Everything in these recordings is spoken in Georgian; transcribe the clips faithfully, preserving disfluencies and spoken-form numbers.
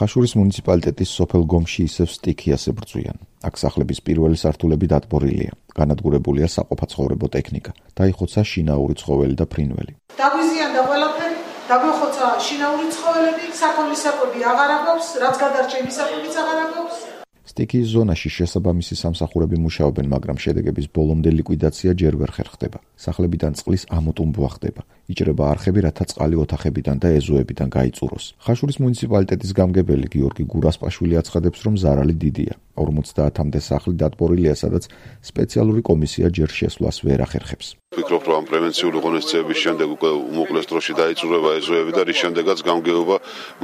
ხაშურის მუნიციპალიტეტის სოფელ გომში ისევ სტიქიას ებრძვიან. აქ სახლების პირველი სართულები დატბორილია. განადგურებულია საყოფაცხოვრებო ტექნიკა. დაიხოცა შინაური ცხოველი და ფრინველი. დაგვიზიანდა ყველაფერი, დაგვეხოცა შინაური ცხოველები, საქონლის საკვები აღარ აქვს, რაც გადარჩა იმის საკვებიც აღარ აქვს. სტიქიის ზონაში შესაბამისი სამსახურები მუშაობენ, მაგრამ შედეგების ბოლომდე ლიკვიდაცია ჯერ ვერ ხერხდება. სახლებიდან წყლის ამოტუმბვა ხდება. იჭრება არხები, რათა წყალი ოთახებიდან და ეზოებიდან გაიწუროს. ხაშურის მუნიციპალიტეტის გამგებელი გიორგი გურასპაშვილი აცხადებს, რომ ზარალი დიდია. ორმოცდაათამდე სახლი დატბორილია, სადაც სპეციალური კომისია ჯერ შესვლას ვერ ახერხებს. ვფიქრობ, რომ პრევენციული ღონისძიების შემდეგ უკვე უმოკლეს დროში დაიწურება ეზოები და რის შემდეგაც გამგეობა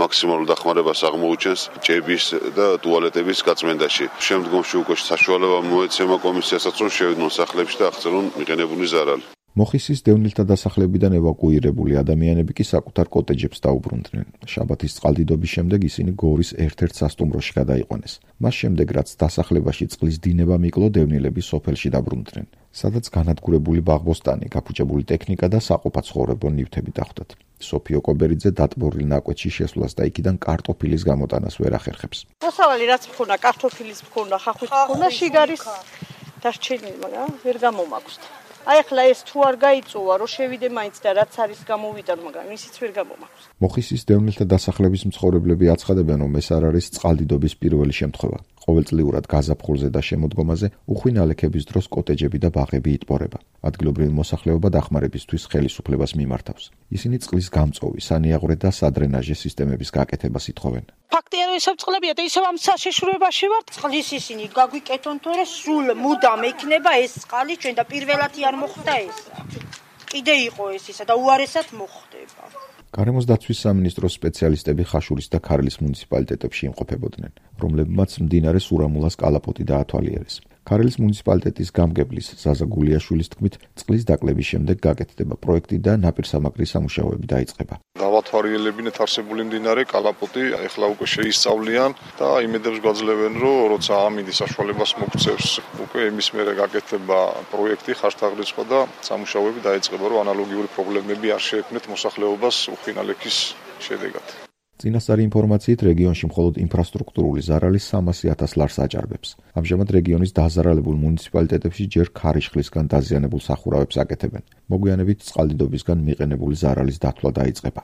მაქსიმალურ დახმარებას აღმოუჩენს ჭების და ტუალეტების გაწმენდაში. შემდგომში უკვე საშუალება მოეცემა კომისიასაც, რომ შევიდნენ სახლებში და აღწერონ მიღებული ზარალი. მოხისის დევნილთა დასახლებიდან ევაკუირებული ადამიანები კი საკუთარ კოტეჯებს დაუბრუნდნენ. შაბათის წყალდიდობის შემდეგ ისინი გორის ერთ-ერთ სასტუმროში გადაიყვანეს. მას შემდეგ, რაც დასახლებაში წყლის დინება მიკლო, დევნილები სოფელში დაბრუნდნენ, სადაც განადგურებული ბაღბოსტანი, გაფუჭებული ტექნიკა და საყოფაცხოვრებო ნივთები დახვდათ. სოფიო კობერიძე დატბორილ ნაკვეთში შესვლას და იქიდან კარტოფილის გამოტანას ვერ ახერხებს. მოსავალი რაც მქონა, კარტოფილის მქონა, ხახვის მქონა, შიგარის დარჩენილი, მაგრამ ვერ გამომაქვს. აი ახლა ეს თუ არ გაიწოვა, რომ შევიდე მაინც და რაც არის გამოვიტან, მაგრამ ისიც ვერ გამომაქვს. მოხისის დევნილთა დასახლების მცხოვრებლები აცხადებენ, რომ ეს არ არის წყალდიდობის პირველი შემთხვევა. ყოველწლიურად გაზაფხულზე და შემოდგომაზე უხვი ნალექების დროს კოტეჯები და ბაღები იტბორება. ადგილობრივი მოსახლეობა დახმარებისთვის ხელისუფლებას მიმართავს. ისინი წყლის გამწოვი, სანიაღვრე და სადრენაჟე სისტემების გაკეთებას ითხოვენ. ფაქტია, რომ ისევ წყლებია და ისევ ამ საშიშროებაში ვართ. წყლის ისინი გაგვიკეთონ, თორე სულ მუდამ ექნება ეს წყალი ჩვენ და პირველათი არ მოხდა ეს. კიდე იყო ეს ისა და უარესად მოხდება. გარემოს დაცვის სამინისტროს სპეციალისტები ხაშურის და ქარლის მუნიციპალიტეტებში იმყოფებოდნენ, რომლებმაც მდინარე სურამულას კალაპოტი დაათვალიერეს. ქარელის მუნიციპალიტეტის გამგებლის ზაზა გულიაშვილის თქმით, წყლის დაკლების შემდეგ გაკეთდება პროექტი და ნაპირსამაგრის სამუშაოები დაიწყება. დავათვალიერებინეთ არსებული მდინარე კალაპოტი, ეხლა უკვე შეისწავლიან და იმედებს გვაძლევენ, რომ როცა ამინდი საშუალებას მოგცევს, უკვე იმის მერე გაკეთება პროექტი, ხარშთაღრიცხვა და სამუშაოები დაიწყება, რომ ანალოგიური პრობლემები არ შეექმნეთ მოსახლეობას უხვი ნალექის შედეგად. წინასწარი ინფორმაციით, რეგიონში მხოლოდ ინფრასტრუქტურული ზარალი სამასი ათას ლარს აჭარბებს. ამჟამად რეგიონის დაზარალებულ მუნიციპალიტეტებში ჯერ ქარიშხლისგან დაზიანებულ სახურავებს აკეთებენ. მოგვიანებით წყალდიდობისგან მიყენებული ზარალის დათვლა დაიწყება.